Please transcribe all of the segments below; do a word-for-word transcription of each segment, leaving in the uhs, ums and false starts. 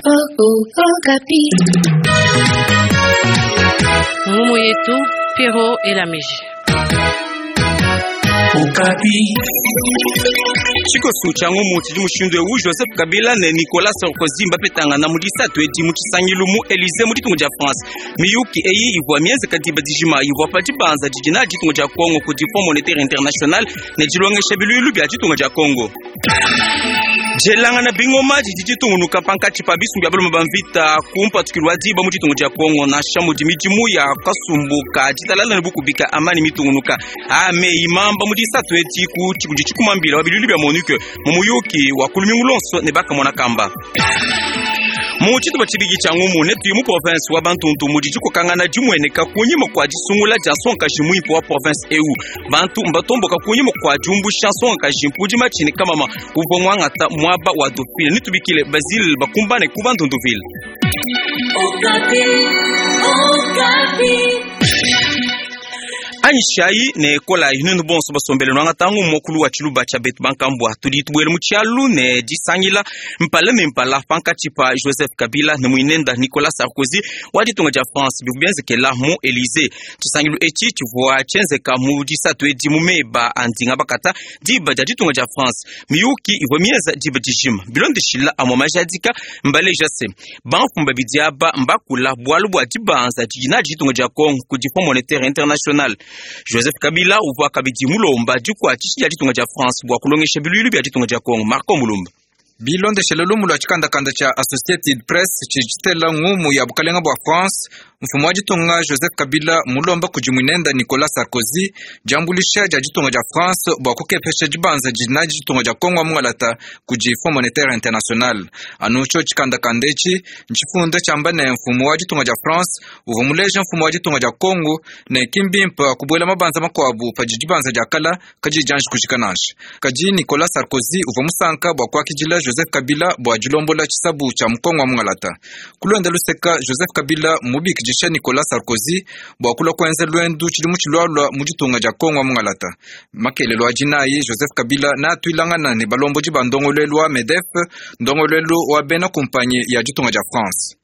Okapi. Ngumu yetu Pero Elamiji. Okapi. Tshikoso tshia ngumu tshidi mushindu ewu Joseph Kabila ne Nicolas Sarkozy mbapetangana mu disatu edi mu tshisangilu mu Elysée mu ditunga dia France. Miyuki eyi ivua mienzeka diba dijima ivua pa dibanza didi na ditunga dia Congo kudi Fonds Monétaire International ne dilongesha biluilu bia ditunga dia Congo. Dielangana bingoma didi ditungunuka pankatshi pa bisumbu bia balume ba mvita ku mpatukilu wa diba mu ditunga dia Congo nansha mudi midimu ya kasumbu ka ditalala ne bukubika amani mitungunuka. Ame imamba mu disatu edi ku tshikudi tshikumambila wa biluilu bia MONUC mu muyuki wa kulumingu lonso ne bakamona kamba. Mu tshitupa tshibidi tshia ngumu netuye mu province wa Bandundu mudi dikokangana dimueneka kunyima kua disungula dia nsongakaji muimpe wa province eu. Bantu mbatomboka kunyima kua diumbusha nsongakaji mpudi matshini kamama uvua muangata muaba wa Dauphine. Netubikile Basile bakumbane ku Bandunduville. Okapi. Okapi. Anyishayi ne kolayi nenu bonso basombele nwanga tangu mokulu wa tshiluba tshia betu bankambua tudi tubuele mu tshialu ne disangila mpala ne mpala pankatshi pa Joseph Kabila ne muinenda Nicolas Sarkozy wa ditunga dia France bivua bienzekela mu Elysée. Tshisangilu etshi tshivua tshienzeka mu disatu edi mu meba a ndinga bakata diba dia ditunga dia France. Miyuki ivua mienza diba dijima bilondeshila amua majadika mbaleja se bamfumu babidi aba mbakula bualu bua dibanza didi nadi ditunga dia Congo kudi Fonds Monétaire International. Joseph Kabila uvua kabidi mulomba dikuatshisha dia ditunga dia France bua kulongesha biluilu bia ditunga dia Congo. Marco Mulumba. Bilondeshele lumu lwa tshikandakanda tshia Associated Press tshidi tshitela ngumu ya bukalenga bua France, mfumu wa ditunga Joseph Kabila mulomba kudi muinenda Nicolas Sarkozy diambulisha dia ditunga dia France bua kukepesha dibanza didi nadi ditunga dia Congo mungalata kudi Fonds Monétaire International. Anu tsho tshikandakanda etshi ntshifunda tshiamba ne mfumu wa ditunga dia France uvua muleja mfumu wa ditunga dia Congo ne kimbimpa kubuela mabanza makuabu padi dibanza dia kala kadi dianji kujika nansha. Kadi Nicolas Sarkozy uvua musanka bua kuakidila Joseph Kabila bua dilombola tshisabu tshia mukongo wa mungalata. Kulonda luseka Joseph Kabila mubikidisha Nicolas Sarkozy bua kulua kuenza lwendu tshidimu tshilualua mu ditunga dia Kongo wa mungalata. Makelelo a dinayi Joseph Kabila natuilangana ne balombodi ba ndongoluelu wa MEDEF, ndongoluelu wa bena kumpanyi ya ditunga dia France.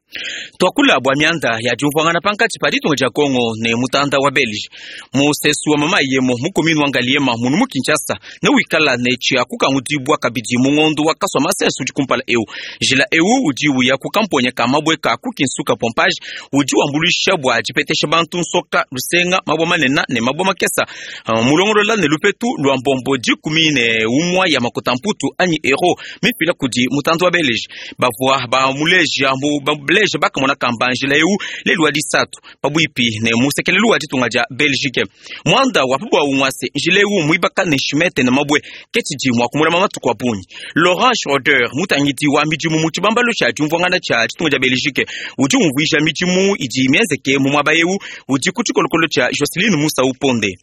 Twakula bua mianda ya diumvuangana pankatshi pa ditunga dia Congo ne mutanda wa Belge musesu wa mama yemo mu commune wa Ngaliema munu mu Kinshasa ne wikala ne tshia kukangudibua kabidi mu ngondo wa kaswa masesu udi kumpala eu. Njila eu udi uya ku kamponya ka mabue ka ku Kinsuka pompage udi wambuluisha bua dipetesha bantu nsoka lusenga mabua manene ne mabua makesa uh, mulongolola ne lupetu lua mbombo dikumi ne umua ya makota mputu anyi euro mifila kudi mutanda wa Belge bavua bamuleja mu baleja bakamona kamba njila eu lelu wa disatu pabuipi ne musekelelu wa ditunga dia Belgique. Mwanda wa pabwa umwase njila eu muibaka ne shimete ne mabue ketshidi mua kumulama matuku a bungi. Laurent Schroeder mutangidi wa midimu mu tshibambalu tshia diumvuangana tshia ditunga dia Belgique udi umvuija midimu idi mienzeke mu muaba eu udi ku tshikolokolo tshia Jocelyn Musa Uponde.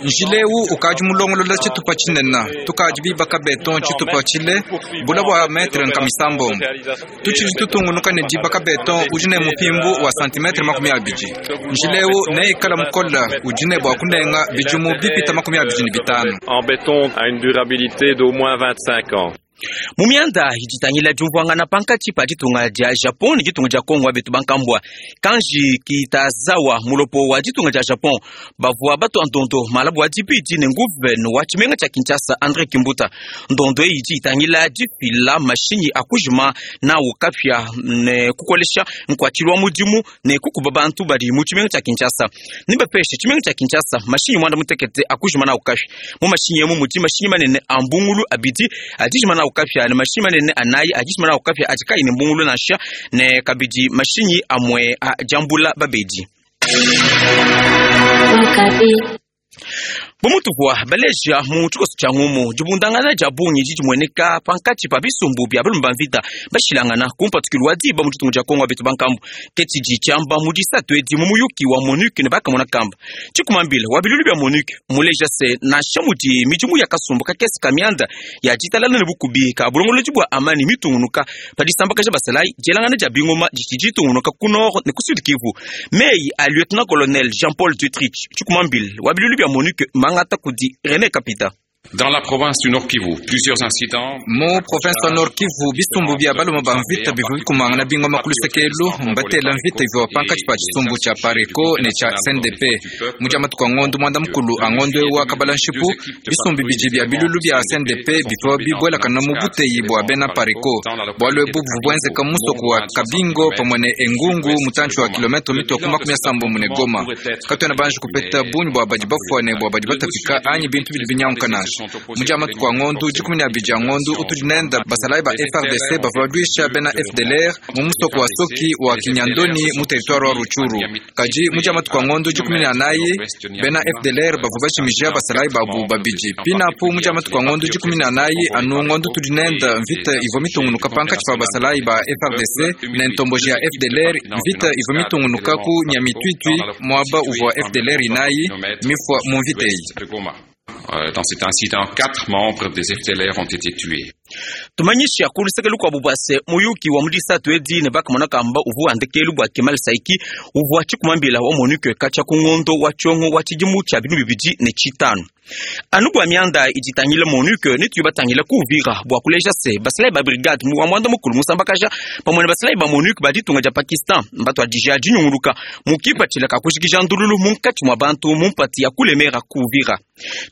Njila eu ukadi mulongolola tshitupa tshinene tukadi bibaka beton tshitupa tshile bula bua metre nkamisambombo tutshidi tutungunuka ne dibaka beton udi ne mupimbu wa santimetre makumi abidi. Njila eu neikala mukola udi ne bua kunenga bidimu bipita makumi abidi ne bitanu. En béton a une durabilité d'au moins vingt-cinq ans. Mu mianda idi itangila diumvuangana pankatshi pa ditunga dia Japon ne ditunga dia Congo wa betu bankambua Kanji Kitazawa mulopo wa ditunga dia Japon bavua batua ndondo malabu wa dibidi ne nguvene wa tshimenga tshia Kinshasa André Kimbuta. Ndondo eyi idi itangila difila mashinyi a kujima nawu kapia ne kukolesha nkuatshilu wa mudimu ne kukuba bantu badi mu tshimenga tshia Kinshasa. Nibapeshe tshimenga tshia Kinshasa mashinyi muanda mutekete a kujima nawu kapia. Mu mashinyi emu mudi mashinyi manene a mbungulu abidi adijima nawu kapia ne mashinyi manene anayi adijima nawu kapia adi kayi ne mbungulu nansha ne kabidi mashinyi amue a diambula babedi. Okapi. Bumutuvua baleja mu tshikoso tshia ngumu dibundangana dia bungi didi dimueneka pankatshi pa bisumbu bia balume ba mvita bashilangana ku mpatukilu wa diba mu ditunga dia Congo betu bankambu ke tshidi tshiamba mu disatu edi mu muyuki wa MONUC ne bakamona kamba tshikumambila wa bilulu bia MONUC muleja se nansha mudi midimu ya kasumbu kakese ka mianda ya ditalala ne bukubi ka bulongolodi bua amani mitungunuka pa disambakaja basalayi dielangana dia bingoma didi ditungunuka ku nord ne ku sud Kivu. Meyi a lieutenant colonel Jean-Paul Dutrich tshikumambila wa bilulu bia MONUC mangata kudi René Kapita. Dans la province du Nord Kivu, plusieurs incidents Mu province wa Nord Kivu, bisumbu bya balume ba mvita bivua bikumangana bingoma ku lusekelu mbatela mvita ivua pankatshi pa tshisumbu tshia Pareco ne tshia C N D P. Mu dia matuku a ngondo muanda mukulu a ngondo eu wa kabala nshipu, bisumbu bibidi bia bilulu bia C N D P bivua bibuelakana mu buteyi bua bena Pareco. Bualu ebu buvua buenzeka mu musoko wa Kabingo pamue ne Engungu mutantshi wa kilometre mitue ku makumi asambombo ne Goma. Katuena banji kupeta bungi bua badi bafua ne bua badi batapika anyi bintu bidi binyanguka nansha. Mu dia matuku a ngondo dikumi ne abidi a ngondo utudi nenda basalayi ba F R D C bavua baluisha bena F D L R mu musoko wa Soki wa Kinyandoni mu territoire wa Rutshuru. Kadi mu dia matuku a ngondo dikumi ne anayi bena F D L R bavua bajimija basalayi babu babidi. Pinapu mu dia matuku a ngondo dikumi ne anayi anu ngondo tudi nenda mvita ivua mitungunuka pankatshi pa basalayi ba F R D C ne ntomboji ya F D L R. Mvita ivua mitungunuka ku Nyamitwitwi muaba uvua F D L R inayi mifua mu mvita eyi. Dans cet incident, quatre membres des F D L R ont été tués. Tumanyisha ku luseke lukuabu bua se muyuki wa mu disatu edi ne bakamona kamba uvua ndekelu bua Kemal Saiki uvua tshikumambila wa MONUC katshia ku ngondo wa tshiongo wa tshidimu tshia binunu bibidi ne tshitanu. Anu bua mianda iditangila MONUC ne tuyi batangila ku Uvira bua kuleja se basalayi ba brigade mu wa muanda mukulu musambakaja pamue ne basalayi ba MONUC ba ditunga dia Pakistan mbatuadija dinyunguluka mu kipatshila ka kujikija ndululu munkatshi mua bantu mu mpati ya kulemera ku Uvira.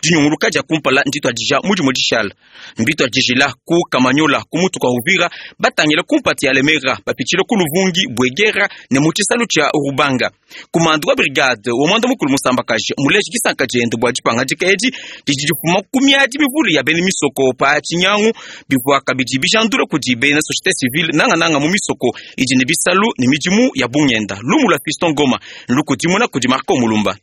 Dinyunguluka dia kumpala ndituadija mudimu dishala mbituadijila ku Kamanyola ku mutu kwa Uvira batangila ku mpati ya Lemera bapitshila ku Luvungi Bwegera ne mu tshisalu tshia Rubanga. Kumandu wa brigade wa muanda mukulu musambakaja muleji disanka diende bua dipangadika edi didi difuma ku miadi mivule ya bena misoko pa tshinyangu bivua kabidi bijandula kudi bena société civile nangananga mu misoko idi ne bisalu ne midimu ya bungenda. Lumu lua Fiston Ngoma lukudimuna kudi Marco Mulumba.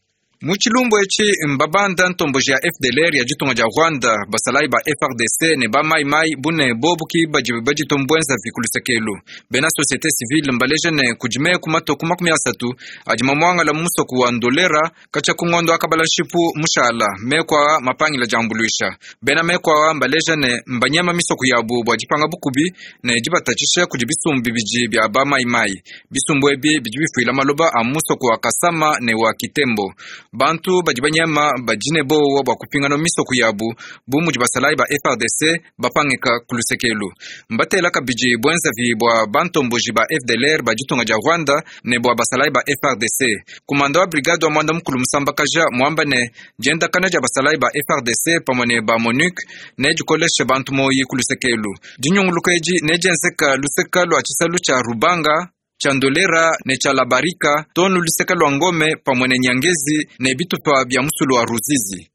Mu tshilumbu etshi mbabanda ntomboji ya F D L R ya ditunga dia Rwanda basalayi ba F R D C ne ba Mai Mai bune bobu ki badi baditombwenza vikulusekelu. Bena société civile mbaleja ne kudime ku matoku makumi asatu adi mamuangala mu musoko wa Ndolera katshia ku ngondo akabala nshipu mushala mekwa mapangila diambuluisha. Bena mekwa mbaleja ne mbanyama misoko yabu bua dipanga bukubi ne dibatatshisha kudi bisumbu bibidi bia ba Mai Mai. Bisumbu ebi bidi bifuila maloba a musoko wa Kasama ne wa Kitembo. Bantu badi banyama badine bowa bua kupingana misoko yabu bu mudi basalayi ba F R D C bapangika ku lusekelu. Mbatela kabidi bwenzavi bua bantomboji ba F D L R ba ditunga dia Rwanda ne bua basalayi ba F R D C. Kumanda wa brigade wa muanda mukulu musambakaja muamba ne diendakana dia basalayi ba F R D C pamue ne ba MONUC ne dikolesha bantu moyi ku lusekelu. Dinyunguluka edi ne dienzeka luseka lua tshisalu tshia Rubanga, tshia Ndolera ne tshia Labarika tonu luseka lua Ngome pamue ne Nyangezi ne bitupa bia musulu wa Ruzizi.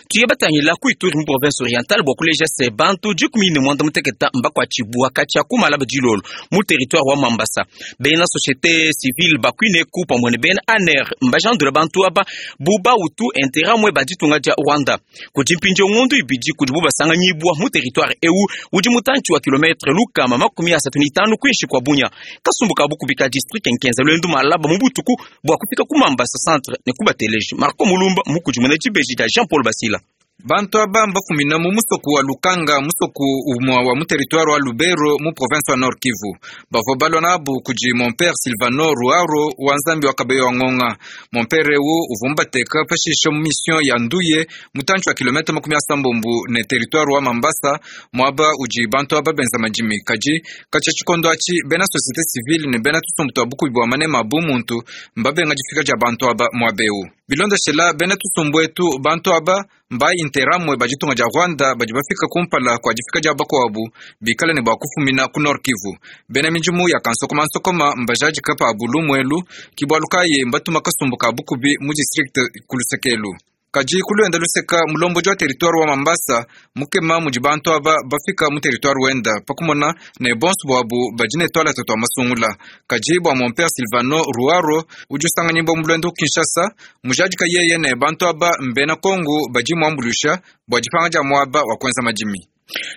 Tuye batangila ku Ituri mu province orientale bua kuleja se bantu dikumi ne muanda muteketa mbakuatshibua katshia ku malaba dilolo mu territoire wa Mambasa. Bena société civile bakuineku pamue ne bena A N R mbajandula bantu aba bu bautu intérêt ba ditunga dia Rwanda. Kudi mpindieu ngondo ibidi kudi bu basanganyibua mu territoire eu udi mutantshi wa kilometre lukama makumi asatu ne itanu kuinshi kua Bunia. Kasumbu ka bukubi ka district nkenza lwendu malaba mu butuku bua kufika ku Mambasa centre ne kubateleji. Marco Mulumba mukudimuna dibeji dia Jean Paul Basila. Bantu aba mbafumina mu musoko wa Lukanga, musoko umwa wa mu territoire wa Lubero mu province wa Nord Kivu. Bavua balua nabu kudi mon père Silvano Ruaro wa Nzambi wa Kabeyo wa Ngonga. Mon père ewu uvua mbateka pashisha mu mission ya Nduye mutantshi wa kilomita makumi asambombo ne territoire wa Mambasa muaba udi bantu aba benza madimi. Kadi katshia tshikondo atshi bena société civile ne bena tusumbu tua bukubi bua manema bu muntu mbabenga difika dia bantu aba muaba ewu. Bilondeshela bena tusumbu etu bantu aba mba interamwe baditunga dia Rwanda badi bafika kumpala kwa difika dia bakuabu bikale ne bua kufumina ku Nord Kivu. Bena midimu ya kansokoma nsokoma mbajadika pa bulu kibwalukaye mbatuma kasumbu ka bukubi mu district kulusekelu. Kadi kuluenda luseka mulomboji wa territoire wa Mambasa mukema mudi bantu aba bafika mu territoire wenda pakumona ne bonso bwabu badi ne twala tatu masungula. Kadi bua mon père Silvano Ruaro udi usanganyibwa mu lwendo Kinshasa mujadika yeye ne bantu aba mbena Kongo badi muambulusha bua dipanga dia muaba wa kuenza madimi.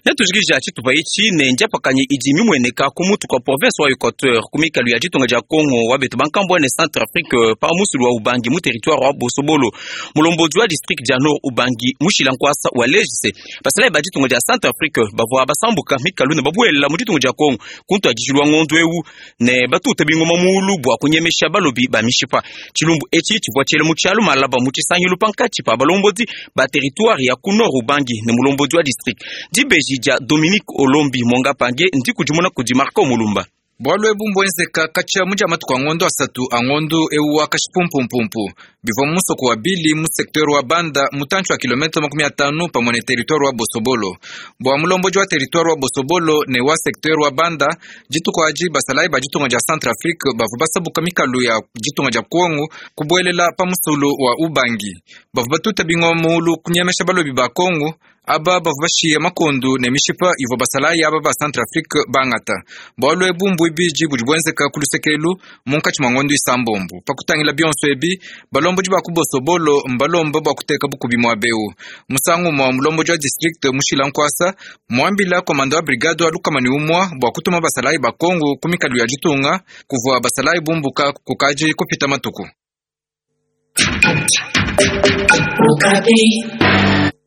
Netujikija tshitupa itshi ne ndiapakanyi idi mimueneka ku mutu kwa province wa Equateur ku mikalu ya ditunga dia Congo wa betu bankambua ne Centrafrique pa musulu wa Ubangi mu territoire wa Bosobolo. Mulombodi wa district dia Nord Ubangi mushila nkwasa wa legise basalayi ba ditunga dia Centrafrique bavua basambuka mikalu ne babuela mu ditunga dia Congo kuntu adijilwa ngondu eu ne batuta bingoma mulu bua kunyemesha balobi ba mishipa. Tshilumbu etshi tshivua tshiele mu tshialu malaba mu tshisangilu pankatshi pa balombodi ba territoire ya ku Nord Ubangi ne mulombodi wa district. Dibeji dia Dominique Olombi Monga Pange ndikudimuna kudi Marco Mulumba. Bwalu ebu mbwenzeka katshia mu dia matuku a ngondo asatu a ngondo ewu wa kashipumpumphumpu bivua mu musoko wa Bili mu secteur wa Banda mutantshi wa kilomita makumi atanu pamue ne territoire wa Bosobolo. Bua mulombodi wa territoire wa Bosobolo ne wa secteur wa Banda dituku adi basalayi ba ditunga dia Centrafrique bavua basabuka mikalu ya ditunga dia Kongo kubuelela pa musulu wa Ubangi. Bavua batuta bingoma mulu kunyemesha balobi ba Kongo aba bavua bashiya makondu ne mishipa ivua basalayi aba ba Centrafrique bangata. Bwalu ebu mbuibidi budi buenzeka ku lusekelu munkatshi mua ngondo isambombo. Pakutangila bionso ebi balombodi ba ku Bosobolo mbalomba bua kuteka bukubi muaba eu. Musangu mua mulombodi wa district mushila nkwasa muambila komanda wa brigade wa lukama ne umua bua kutuma basalayi ba Kongo ku mikalu ya ditunga kuvua basalayi bumbuka kukaji kupita matuku.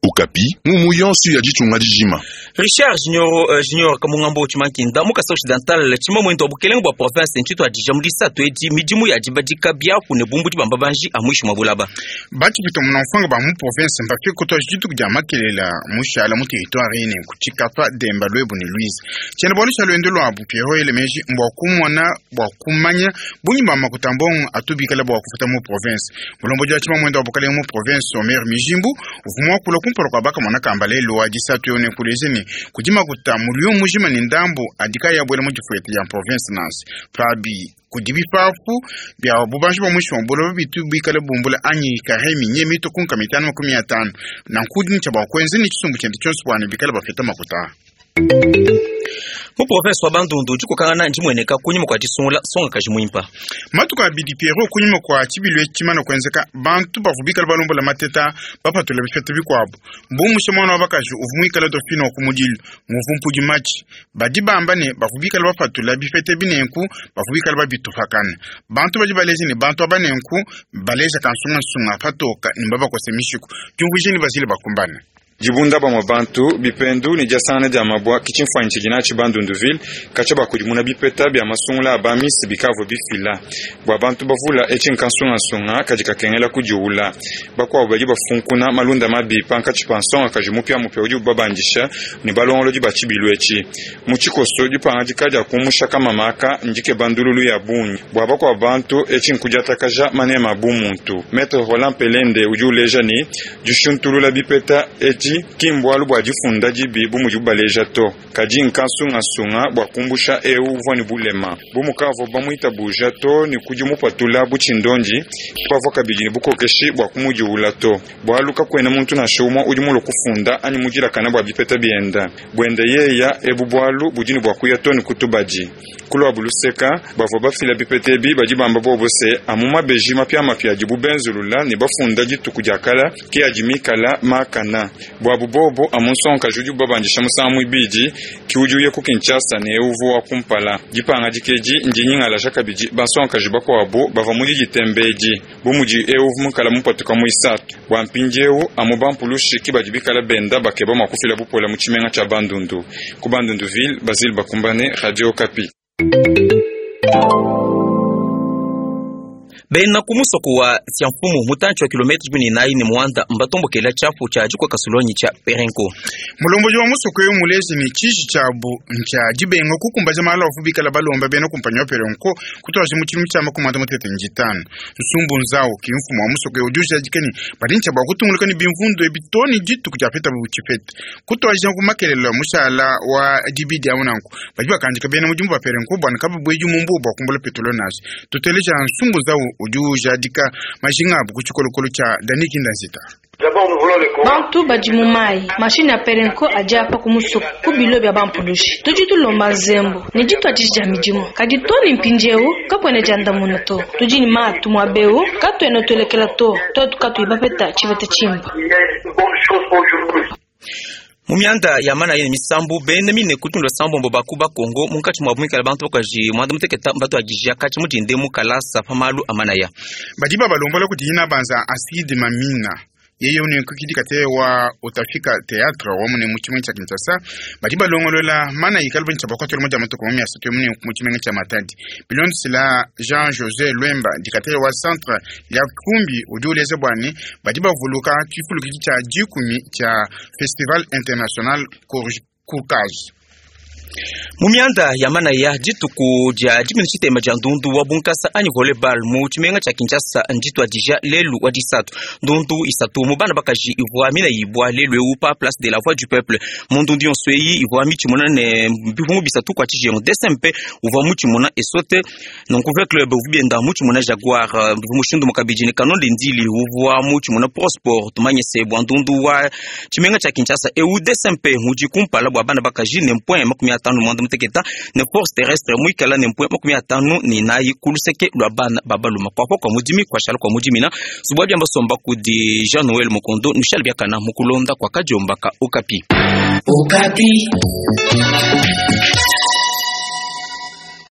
Okapi mumu yonso ya ditunga dijima. Richard Junior uh, Junior Kamungambo Tshimankinda mu Kasai Occidental tshima mwendo wa bukelenge bua province ntshito adija mu disatu edi midimu ya dibadika biapu ne bumbu dibamba banji amwishi mwa bulaba. Batshipita munamfwanga ba mu province mbafike kutwa dituku dia makelela mushala mu territoire ine kutshikapa Demba Lwebu ne Louise. Tshiena bualu tshia lwendo lwabu Pierrot Elemeji mbwa kumona bwa kumanya bungi ba makuta mbongo atubikala bwa kufuta mu province. Mulombodi wa tshima mwendo wa bukelenge mu province Omer Mijimbu uvumwa kula kumpala kwa baka mwana kamba lelo wa disatu yone kuleze ni kudima kuta mulio mujima ni ndambu adika ya bwela mu difuete ya province nansi pabi kudibi pafu bya bubanji bwa mwisho mbolo bitu bikale bumbula anyi kahemi nye mito kunka mitano makumi atano na nkudi ncha bwa kwenzi ni chisumbu chende chonse bwana bikale bafeta makuta. Mu province wa Bandundu dikokangana ndimweneka kunyima kwa disungula songa kaji muimpa. Matuku abidi Pierrot kunyima kwa tshibilu tshimana kuenzeka bantu bavua bikala balombola mateta bapatula bipeta bikuabu mbumusha mwana wa bakaji uvua muikala dauphine wa kumudilu muvu mpudi matshi badi bamba ne bavua bikala bapatula bipeta binenku bavua bikala babitupakana bantu badi baleja ne bantu aba nenku baleja kansungansunga patoka ne babakose mishiku diumvuije ne bazile bakumbana. Dibunda bamwe bantu bipendu ne diasangana dia mabwa kitshimfuanyi tshidi natshi Bandunduville katshia bakudimuna bipeta bia masungula a bamisi bikavua bifila bua bantu bavula etshi nkansungasunga kadi kakengela kudiula bakuabu badi bafunkuna malunda mabi pankatshi pa nsonga kaji mupiamupia udi ubabandisha ne balongolodi ba tshibilu etshi mu tshikoso dipangadika dia kumusha kamamaka ndike bandululu ya bungi bua bakuabu bantu etshi nkudiatakaja manema a bumuntu. Maître Roland Pelende udi uleja ne dishuntulula bipeta etshi kimbwalu bua difunda dibi bu mudi bubaleja to kadi nkansungasunga bua kumbusha eu uvua ne bulema bu mukavua bamuitabuja to ne kudi mupatula bu tshindondi bavua kabidi ne bukokeshi bua kumudiula to bualu kakuena muntu nansha umue udi mulue kufunda anyi mudilakana bua bipeta bienda buende yeya ebu bualu budi ne bua kuya to ne kutubadi kulua buluseka bavua bafila bipeta ebi badi bamba bobo se amu mabeji mapiamapia adibu benzulula ne bafunda dituku dia kala ke adi mikala makana bwabu bobo amunsonka judi babandisha musangu ibidi ki udi uya ku Kinshasa ne uvu wa kumpala dipanga dikeji ndinyingala kabidi bansonkaji bakuabu bava mudi ditembedi bu mudi euvu mukala mupatuka mu isatu bua mpindiewu amu bampulushi ki badi bikala benda bakeba mua kufila bupola mu tshimenga tshia Bandundu ku Bandunduville. Basile Bakumbane, Radio Okapi. Bena ku musoko wa Siamfumu mutantshi wa kilometre dikumi ne inayi ne muanda mbatombokela tshiapu tshia dikoka sulonyi tshia Perenco. Mulomboji wa musoko eu mulezi ne tshiji tshiabu ntshia dibenga kukumbaja malu avu bikala balomba bena kumpanyi wa Perenco kutwaje mu tshidimu tshia makumi atanu mutete njitanu nsumbu nzau ki mfumu wa musoko eu udi ujadika ne badi ntshia bua kutunguluka ne bimvundu ebi to ne dituku dia peta butshipete kutwaja ku makelelo mushala wa dibidi awu nanku badi bakandika bena mudimu ba Perenco bua nekababuedi mu mbuwa bua kumbula petrole nansha tuteleja nsumbu nzau udi ujadika majinga abu ku tshikolokolo tshia Dani Kindanzita. Bantu badi mu mayi mashine ya Perenco adi apa ku musoko ku bilo bia bampulushi tudi tulomba nzembo ne dituadiji dia midimu kadi to ne mpindiewu kakuena diandamuna to tudi ne matu muaba eu katuena tuelekela to tuetu katuyi bapeta tshipeta tshimpe. Mu mianda ya mana yene misambu bene mine kutundwa sambombo bakuba Kongo munkatshi mwa bumikala bantu bakaji mwanda muteketa mbatu agijia katshi mudinde mu kalasa pamalu amanaya. Badi babalombola kudi ina banza Asidi Mamina yeye unekukidika te wa utafika théâtre wa mune mu tshimenga tsha Kinshasa. Badi balongolola mana ikala bentshia bakwatela moja matuku makumi asatu mune mu tshimenga tsha Matadi. Bilondesela Jean José Lwemba dikatele wa centre ya Kumbi udi uleza bwani badi bavuluka tshifulukidi tsha dikumi tsha Festival International Kurkaz. Mu mianda ya manaya dituku dia dikumi tshitema dia ndundu wa bunkasa anyi volleyball mu tshimenga tsha Kinshasa ndituadija lelu wa disatu. Ndundu isatu mu bana bakaji ivua mina ibwa lelu eu pa place de la voix du peuple. Mu ndundu yonso eyi ivua mitshimuna ne bivungu bisatu kwa tshijengu D S M P uvua mutshimuna esote nonku V club uvua bienda mutshimuna Jaguar mushindu mukabidi ne Canon de Ndili uvua mutshimuna Pro Sport. Tumanye se bua ndundu wa tshimenga tsha Kinshasa eu D S M P mudi kumpala bua bana bakaji ne point makumi atanu mwanda muteketa ne force terrestre muikala ne mpwe makumi atanu ni nayi kuluseke lwa bana babaluma kwakwa kwa mudimi kwa shala kwa mudimina subwa byamba somba kudi Jean Noël Mukondo Michel Biakana mukulonda kwa kajombaka Okapi. Okapi.